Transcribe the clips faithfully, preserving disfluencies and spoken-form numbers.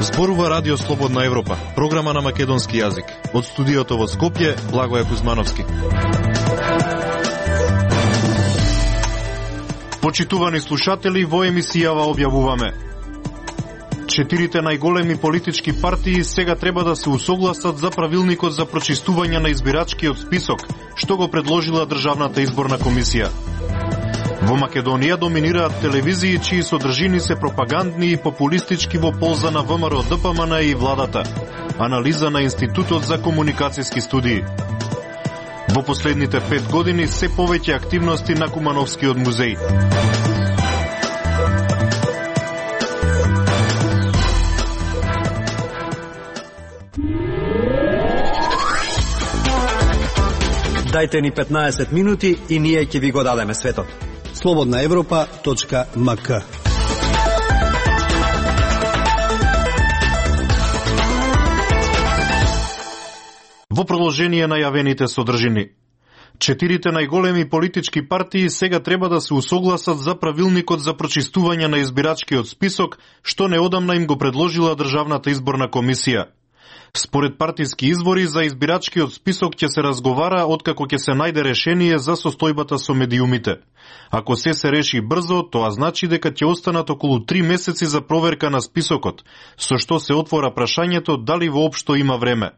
Зборува Радио Слободна Европа, програма на македонски јазик. Од студиото во Скопје, Благоје Кузмановски. Почитувани слушатели, во емисијава објавуваме: четирите најголеми политички партии сега треба да се усогласат за правилникот за прочистување на избирачкиот список, што го предложила Државната изборна комисија. Во Македонија доминираат телевизии чии содржини се пропагандни и популистички во полза на ВМРО Д П М Н и владата. Анализа на Институтот за комуникацијски студии. Во последните пет години се повеќе активности на Кумановскиот музеј. Дајте ни петнаесет минути и ние ќе ви го дадеме светот. слободна европа точка м к. Во продолжение на јавените содржини. Четирите најголеми политички партии сега треба да се усогласат за правилникот за прочистување на избирачкиот список, што неодамна им го предложила Државната изборна комисија. Според партиски извори, за избирачкиот список ќе се разговара откако ќе се најде решение за состојбата со медиумите. Ако се се реши брзо, тоа значи дека ќе останат околу три месеци за проверка на списокот, со што се отвора прашањето дали воопшто има време.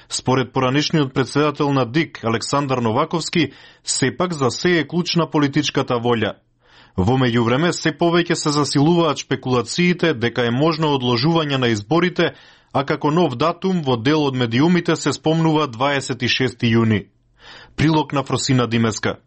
Според поранешниот председател на Д И К, Александар Новаковски, сепак за се е клучна политичката волја. Во меѓувреме, се повеќе се засилуваат шпекулациите дека е можно одложување на изборите, а како нов датум во дел од медиумите се спомнува дваесет и шести јуни. Прилог на Фросина Димеска.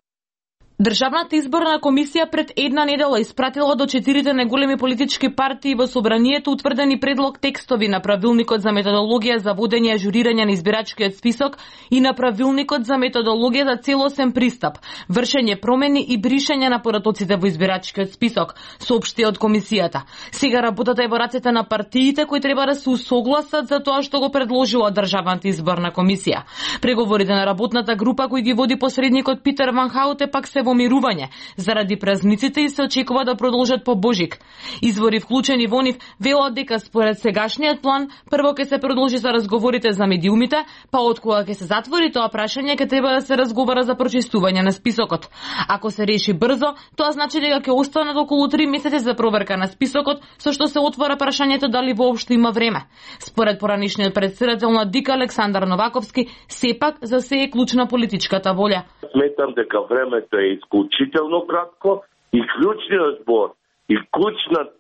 Државната изборна комисија пред една недела испратила до четирите најголеми политички партии во собранието утврдени предлог текстови на правилникот за методологија за водење и ажурирање на избирачкиот список и на правилникот за методологија за целосен пристап, вршење промени и бришење на поратоците во избирачкиот список, соопшти од комисијата. Сега работата е во рацете на партиите кои треба да се усогласат за тоа што го предложила Државната изборна комисија. Преговорите на работната група кои ги води посредникот Питер Ван Хауте пак се во мирување заради празниците и се очекува да продолжат по Божик. Извори вклучени во нив велат дека според сегашниот план прво ќе се продолжи за разговорите за медиумите, па откога ќе се затвори тоа прашање ќе треба да се разговара за прочистување на списокот. Ако се реши брзо, тоа значи дека ќе останат околу три месеци за проверка на списокот, со што се отвора прашањето дали воопшто има време. Според поранешниот председател на Д И К Александар Новаковски, сепак за се е клучна политичката волја. Сметам дека времето е исклучително кратко и клучниот збор и клучниот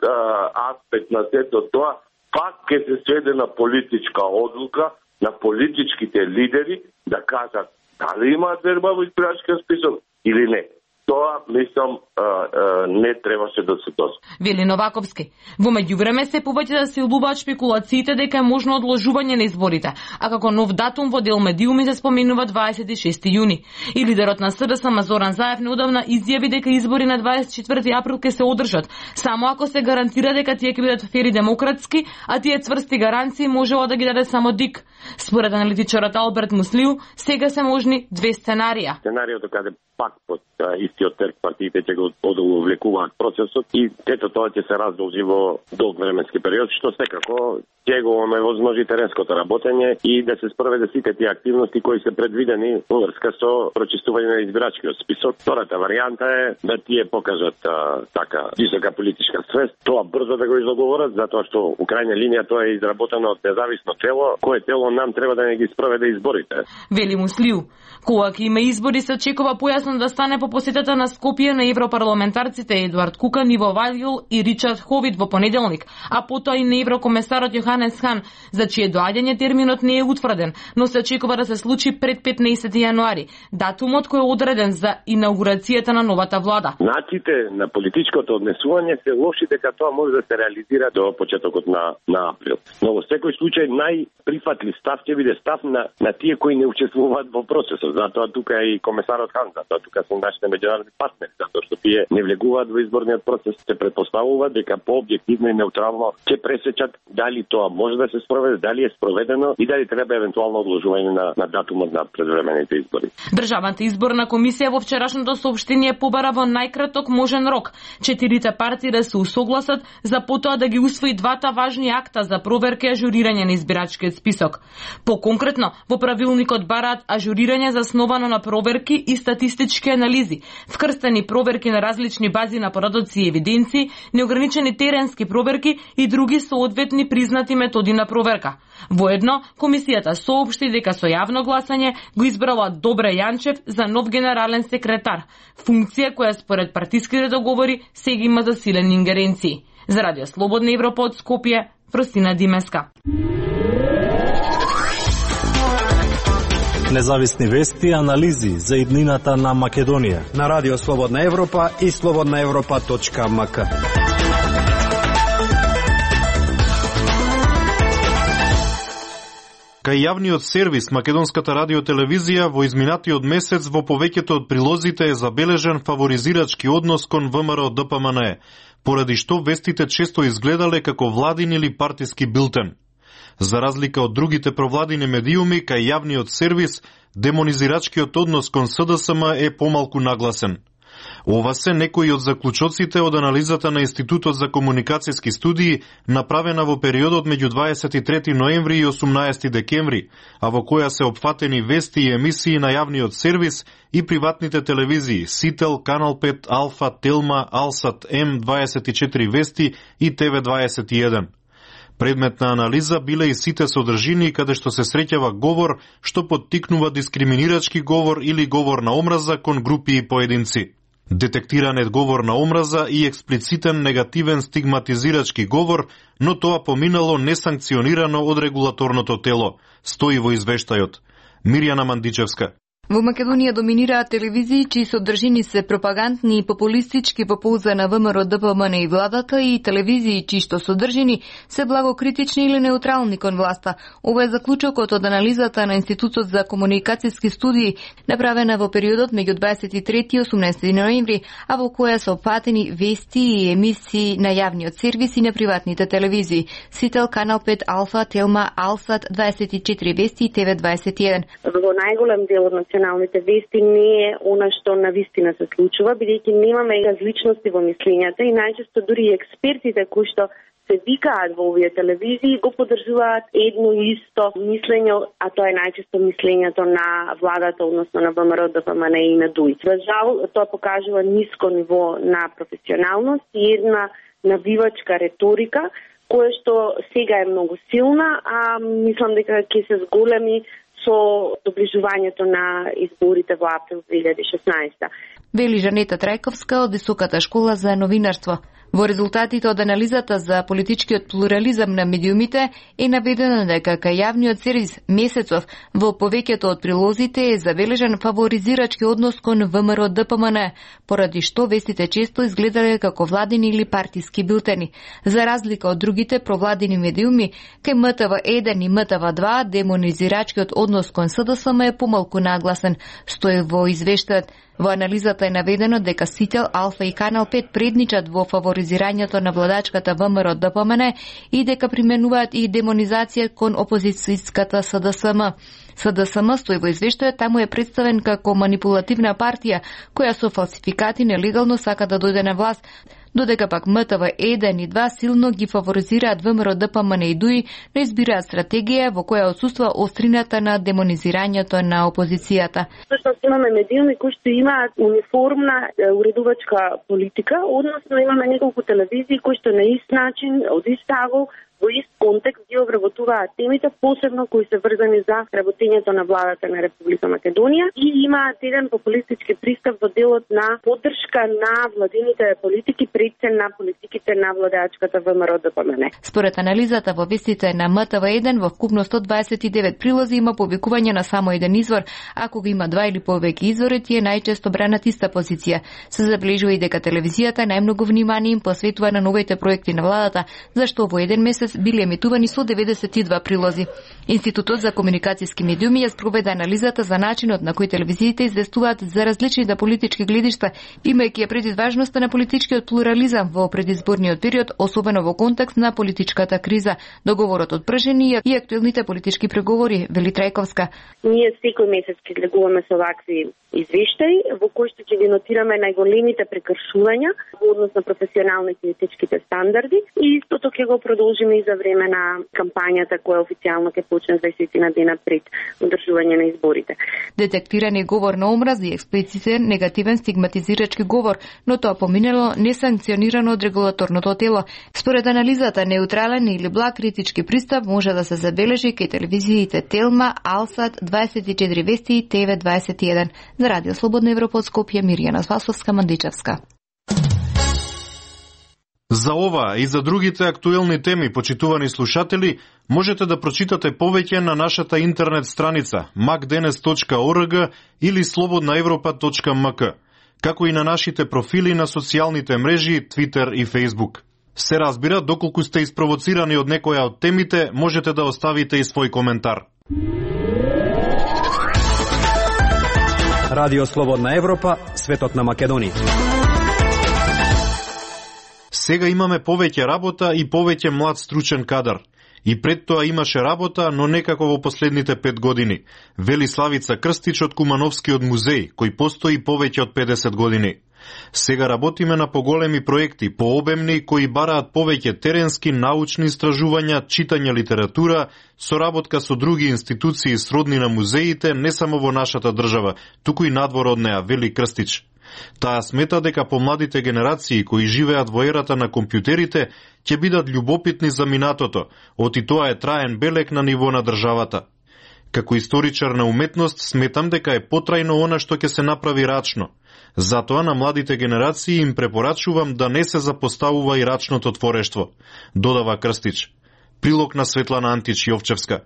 аспект на сето тоа пак ќе се сведе на политичка одлука на политичките лидери да кажат дали имаат верба во избирачкиот список или не. Тоа, мислам, а, а, не требаше да се дозволи. Вели Новаковски. Во меѓувреме се повеќе да се улуваат шпекулациите дека е можно одложување на изборите, а како нов датум во дел медиуми се споменува дваесет и шести јуни. И лидерот на С Д С М Зоран Заев неодамна изјави дека избори на дваесет и четврти април ќе се одржат, само ако се гарантира дека тие ќе бидат фер и демократски, а тие цврсти гаранции можела да ги даде само Д И К. Според аналитичарот Алберт Муслиу, сега се можни две сценарија. Сценариото каде пак под истиот терк партиите ќе го одовлекуваат процесот и ето тоа ќе се раздолжи во долг временски период, што секако ќе го оневозможи теренското работење и да се спроведе сите тие активности кои се предвидени во врска со прочистување на избирачкиот список. Втората варијанта е да тие покажат а, така висока политичка свест, тоа брзо да го изоговорат, затоа што у крајна линија тоа е изработено од независно тело, кое тело нам треба да не ги спроведе изборите. Вели Муслиу. Кога ќе има избори се очекува појасно да стане по посетата на Скопје на европарламентарците Едуард Кукан, Иво Вајл и Ричард Ховит во понеделник, а потоа и на еврокомесарот Јоханес Хан, за чие доаѓање терминот не е утврден, но се очекува да се случи пред петнаесети јануари, датумот кој е одреден за инаугурацијата на новата влада. Начите на политичкото однесување се лоши дека тоа може да се реализира до почетокот на на април. Но во секој случај најприфатлив став ќе биде став на на тие кои не учествуваат во процесот. Затоа тука е и комесарот Хан, затоа тука се нашите меѓународни меѓународни партнери, затоа што тие не влегуваат во изборниот процес, се претпоставува дека по објективно и неутрално ќе пресечат дали тоа може да се спроведе, дали е спроведено и дали треба евентуално одложување на, на датумот на предвремените избори. Државната изборна комисија во вчерашното соопштение побара во најкраток можен рок четирите партии да се усогласат за потоа да ги усвои двата важни акта за проверка и ажурирање на избирачкиот список. Поконкретно, во правилникот бараат ажурирање засновано на проверки и статистички анализи, вкрстени проверки на различни бази на порадоци и евиденции, неограничени теренски проверки и други соодветни признати методи на проверка. Воедно, комисијата соопшти дека со јавно гласање го избрала Добре Јанчев за нов генерален секретар, функција која според партиските договори сега има засилени ингеренции. За Радио Слободна Европа од Скопје, Фростина Димеска. Независни вести и анализи за иднината на Македонија на Радио Слободна Европа и слободна европа точка ем ка. Кај јавниот сервис Македонската радиотелевизија во изминатиот месец во повеќето од прилозите е забележен фаворизирачки однос кон ВМРО Д П М Н Е, поради што вестите често изгледале како владин или партиски билтен. За разлика од другите провладини медиуми, кај јавниот сервис, демонизирачкиот однос кон С Д С М е помалку нагласен. Ова се некои од заклучоците од анализата на Институтот за комуникацијски студии, направена во периодот меѓу дваесет и трети ноември и осумнаесети декември, а во која се опфатени вести и емисии на јавниот сервис и приватните телевизии Сител, Канал пет, Алфа, Телма, Алсат, М дваесет и четири Вести и Т В дваесет и еден. Предмет на анализа биле и сите содржини каде што се среќава говор што поттикнува дискриминирачки говор или говор на омраза кон групи и поединци. Детектиран е говор на омраза и експлицитен негативен стигматизирачки говор, но тоа поминало несанкционирано од регулаторното тело, стои во извештајот. Мирјана Мандичевска. Во Македонија доминираат телевизии чии содржини се пропагандни и популистички во полза на ВМРО Д П М Н и владата и телевизии чии што содржини се благокритични или неутрални кон власта. Ова е заклучокот од анализата на Институтот за комуникацијски студии, направена во периодот меѓу дваесет и трети и осумнаесети ноември, а во која се опфатени вести и емисии на јавниот сервис и на приватните телевизии Сител, Канал пет, Алфа, Телма, Алсат, дваесет и четири Вести и Т В дваесет и еден. Во најголем дел од националните вести не е она што навистина се случува, бидејќи немаме различности во мислењата и најчесто дури и експертите кои што се викаат во овие телевизии го поддржуваат едно и исто мислење, а тоа е најчесто мислењето на владата, односно на ВМРО Д П М Н и на Д У И. За жал, тоа покажува ниско ниво на професионалност и една навивачка реторика, која што сега е многу силна, а мислам дека ќе се зголеми со доближувањето на изборите во април две илјади и шеснаесета. Вели Жанета Трајковска од Високата школа за новинарство. Во резултатите од анализата за политичкиот плурализам на медиумите е наведено дека кај јавниот сервис Месецов во повеќето од прилозите е забележен фаворизирачки однос кон ВМРО Д П М Н, поради што вестите често изгледале како владини или партиски билтени. За разлика од другите провладини медиуми, кај М Т В еден и М Т В два демонизирачкиот однос кон С Д С М е помалку нагласен, стои во извештајот. Во анализата е наведено дека Сител, Алфа и Канал пет предничат во фаворизирањето на владачката ВМРО Д П М Н и дека применуваат и демонизација кон опозицијската С Д С М. С Д С М стои во извештајот, таму е представен како манипулативна партија која со фалсификати нелегално сака да дојде на власт, додека пак М Т В еден и два силно ги фаворизираат ВМРО Д П М Н и Д У И, но избираат стратегија во која отсуства острината на демонизирањето на опозицијата. Всушност имаме медиуми кои што имаат униформна уредувачка политика, односно имаме неколку телевизии кои што на ист начин, од ист агол, во ист контекст ги обработуваат темите, посебно кои се врзани за работењето на владата на Република Македонија и имаат еден популистички пристап во делот на поддршка на владините политики пред се на политиките на владеачката ВМРО Д П М Н. Според анализата во вестите на М Т В еден во вкупно сто дваесет и девет прилози има повикување на само еден извор, ако го има два или повеќе извори, тие најчесто бранат иста позиција. Се забележува и дека телевизијата најмногу внимание им посветува на новите проекти на владата, зашто во еден месец месец били емитувани со деветдесет и два прилози. Институтот за комуникацијски медиуми ја спроведе анализата за начинот на кој телевизиите известуваат за различните политички гледишта, имајќи ја предвид важноста на политичкиот плурализам во предизборниот период, особено во контекст на политичката криза, договорот од пржени и актуелните политички преговори, вели Трајковска. Ние секој месец ќе излегуваме со вакви извештаи, во кои што ќе ги нотираме најголемите прекршувања во однос на професионалните и етичките стандарди и истото ќе го продолжиме и за време на кампањата која официјално ќе почне дваесет на дена пред одржување на изборите. Детектиран е говор на омраза и експлицитен негативен стигматизирачки говор, но тоа поминало несанкционирано од регулаторното тело. Според анализата, неутрален или благ критички пристап може да се забележи кај телевизиите Телма, Алсат, дваесет и четири Вести и ТВ дваесет и еден. За Радио Слободна Европа од Скопје, Мирјана Спасовска-Мандичевска. За ова и за другите актуелни теми, почитувани слушатели, можете да прочитате повеќе на нашата интернет страница макденес точка орг или слободна европа точка мк, како и на нашите профили на социјалните мрежи Twitter и Facebook. Се разбира, доколку сте испровоцирани од некоја од темите, можете да оставите и свој коментар. Радио Слободна Европа, светот на Македонија. Сега имаме повеќе работа и повеќе млад стручен кадар. И пред тоа имаше работа, но некако во последните пет години, вели Славица Крстич од Кумановскиот музеј, кој постои повеќе од педесет години. Сега работиме на поголеми проекти, пообемни, кои бараат повеќе теренски научни истражувања, читање литература, соработка со други институции сродни на музеите, не само во нашата држава, туку и надвор од неа, вели Крстич. Таа смета дека помладите генерации кои живеат во ерата на компјутерите ќе бидат љубопитни за минатото, оти тоа е траен белег на ниво на државата. Како историчар на уметност сметам дека е потрајно она што ќе се направи рачно. Затоа на младите генерации им препорачувам да не се запоставува и рачното творештво, додава Крстич. Прилог на Светлана Антич Јовчевска.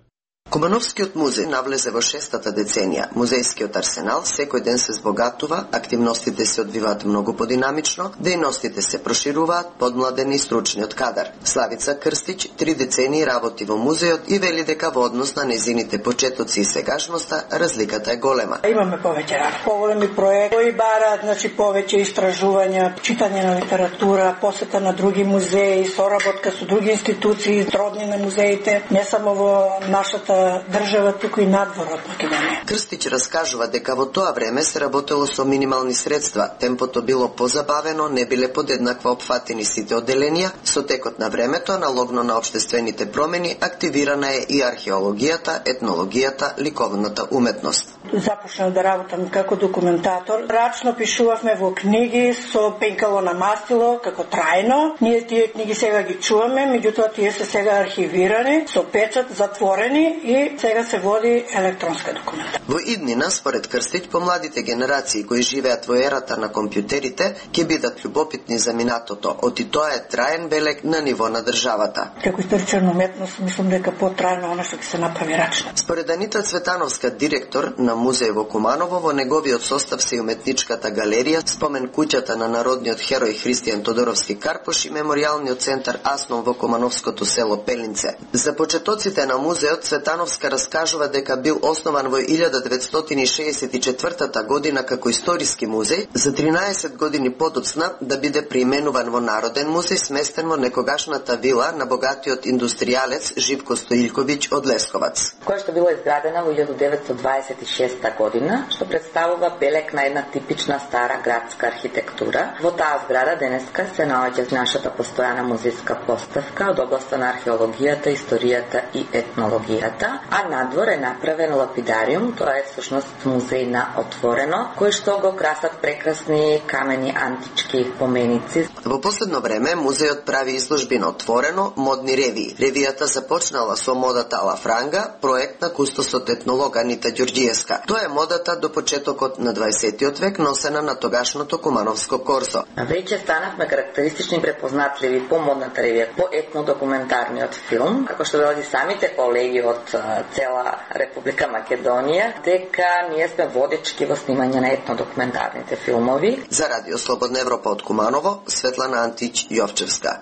Кумановскиот музеј навлезе во шестата деценија. Музејскиот арсенал секој ден се збогатува, активностите се одвиваат многу подинамично, дејностите се прошируваат, подмладени и стручниот кадар. Славица Крстич три децении работи во музејот и вели дека во однос на незините почетоци и сегашноста разликата е голема. Имаме повеќе работа, поголеми проекти кои бараат, значи повеќе истражувања, читање на литература, посета на други музеи, соработка со други институции, сродни на музеите, не само во нашата држава, туку и надвор од Македонија. Крстич раскажува дека во тоа време се работело со минимални средства, темпото било позабавено, не биле подеднакво опфатени сите одделенија, со текот на времето, аналогно на општествените промени, активирана е и археологијата, етнологијата, ликовната уметност. Започнав да работам како документатор. Рачно пишувавме во книги со пенкало на мастило, како трајно. Ние тие книги сега ги чуваме, меѓутоа тие се сега архивирани, со печат, затворени и сега се води електронска документација. Во иднина, според Крстич, помладите генерации кои живеат во ерата на компјутерите ќе бидат љубопитни за минатото, оти тоа е траен белег на ниво на државата. Како историчар на уметност, мислам дека потрајно она што ќе се направи рачно. Според Анита Цветановска, директор на музеј во Куманово, во неговиот состав се и уметничката галерија, спомен куќата на народниот херој Христијан Тодоровски Карпош и меморијалниот центар Асном во Кумановското село Пелинце. За почетоците на музеот Цветановска раскажува дека бил основан во илјада деветстотини шеесет и четвртата година како историски музеј, за тринаесет години подоцна да биде преименуван во Народен музеј, сместен во некогашната вила на богатиот индустријалец Живко Стоилковиќ од Лесковац. Која што била изградена во илјада деветстотини дваесет и шеста година, што представува белег на една типична стара градска архитектура. Во таа зграда денеска се наоѓа нашата постојана музејска поставка од областа на археологијата, историјата и етнологијата, а надвор е направен лапидариум, тоа е всушност музеј на отворено, кој што го красат прекрасни камени антички поменици. Во последно време музејот прави изложби на отворено, модни ревии. Ревијата започнала со модата Ала Франга, проект на кустосот етнолог Анита Ѓорѓиевска. Тоа е модата до почетокот на дваесетиот век, носена на тогашното Кумановско корсо. Веќе станавме карактеристични препознатливи по модната ревија, по етнодокументарниот филм, како што велат и самите колеги од цела Република Македонија, дека ние сме водечки во снимање на етнодокументарните филмови. За Радио Слободна Европа од Куманово, Светлана Антич Јовчевска.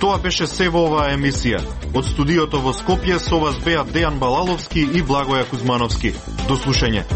Тоа беше се во оваа емисија. Од студиото во Скопје со вас беа Дејан Балаловски и Благоја Кузмановски. До слушање.